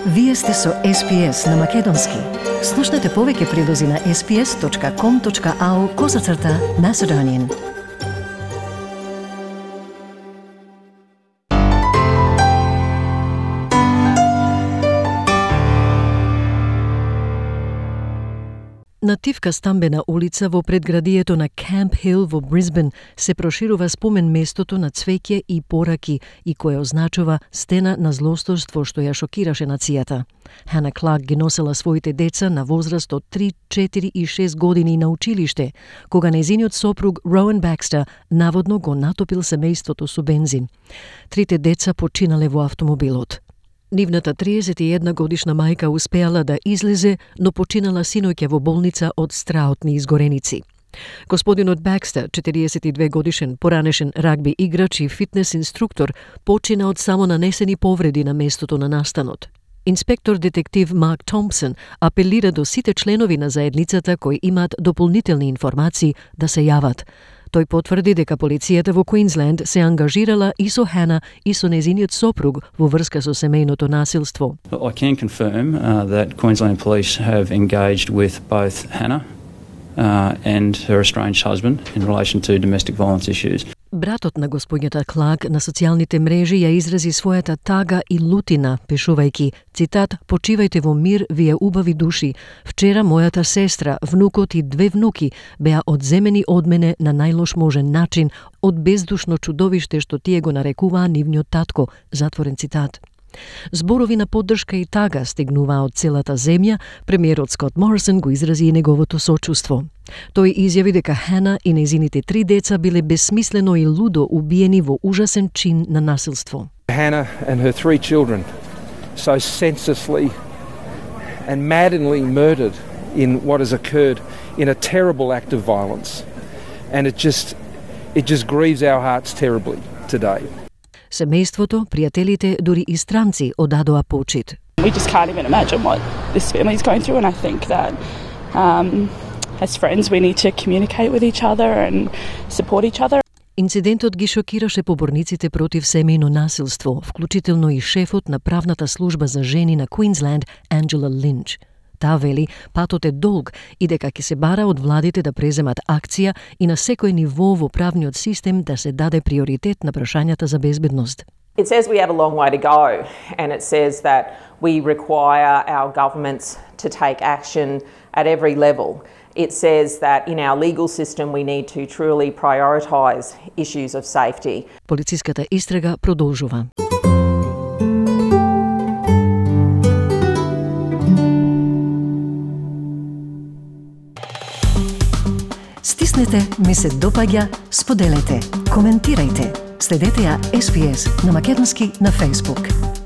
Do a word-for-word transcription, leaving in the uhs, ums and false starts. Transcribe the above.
Вие сте со Ес Пи Ес на Македонски. Слушнете повеќе прилози на ес пи ес точка ком точка ау козацрта Macedonian. На тивка стамбена улица во предградието на Camp Hill во Брисбен се проширува спомен местото на цвеќе и пораки и кое означува стена на злосторство што ја шокираше нацијата. Хана Кларк ги носела своите деца на возраст од три, четири и шест години на училиште, кога нејзиниот сопруг Роуен Бакстер наводно го натопил семејството со бензин. Трите деца починале во автомобилот. Нивната триесет и една годишна мајка успеала да излезе, но починала синоќа во болница од страотни изгореници. Господинот Бакстер, четириесет и две годишен поранешен рагби играч и фитнес инструктор, почина од само нанесени повреди на местото на настанот. Инспектор детектив Марк Томпсон апелира до сите членови на заедницата кои имаат дополнителни информации да се јават. Тој потврди дека полицијата во Квинсленд се ангажирала и со Хана и со незиниот сопруг во врска со семејното насилство. I can confirm uh, that Queensland Police have engaged with both Hannah uh, and her estranged husband in relation to domestic violence issues. Братот на господињата Кларк на социјалните мрежи ја изрази својата тага и лутина, пишувајќи, цитат, "Почивајте во мир, вие убави души. Вчера мојата сестра, внукот и две внуки беа одземени од мене на најлош можен начин од бездушно чудовиште што тие го нарекуваа нивниот татко", затворен цитат. Зборови на поддршка и тага стигнуваа од целата земја, премиерот Скот Морисон го изрази и неговото сочувство. Тој изјави дека Хана и нејзините три деца биле безсмислено и лудо убиени во ужасен чин на насилство. Hannah and her three children so senselessly and maddeningly murdered in what has occurred in a terrible act of violence. And it just it just grieves our hearts terribly today. Семејството, пријателите, дури и странци одадоа почит. We just can't even imagine what this family is going through, and I think that um, as friends we need to communicate with each other and support each other. Инцидентот ги шокираше поборниците против семејно насилство, вклучително и шефот на правната служба за жени на Квинсленд, Анджела Линч. Таа вели, патот е долг и дека ќе се бара од владите да преземат акција и на секој ниво во правниот систем да се даде приоритет на прашањата за безбедност. It says we have a long way to go, and it says that we require our governments to take action at every level. It says that in our legal system we need to truly prioritise issues of safety. Полициската истрага продолжува. Стиснете, ми се допаѓа, споделете, коментирајте. Следете ја Ес Пи Ес на Македонски на Facebook.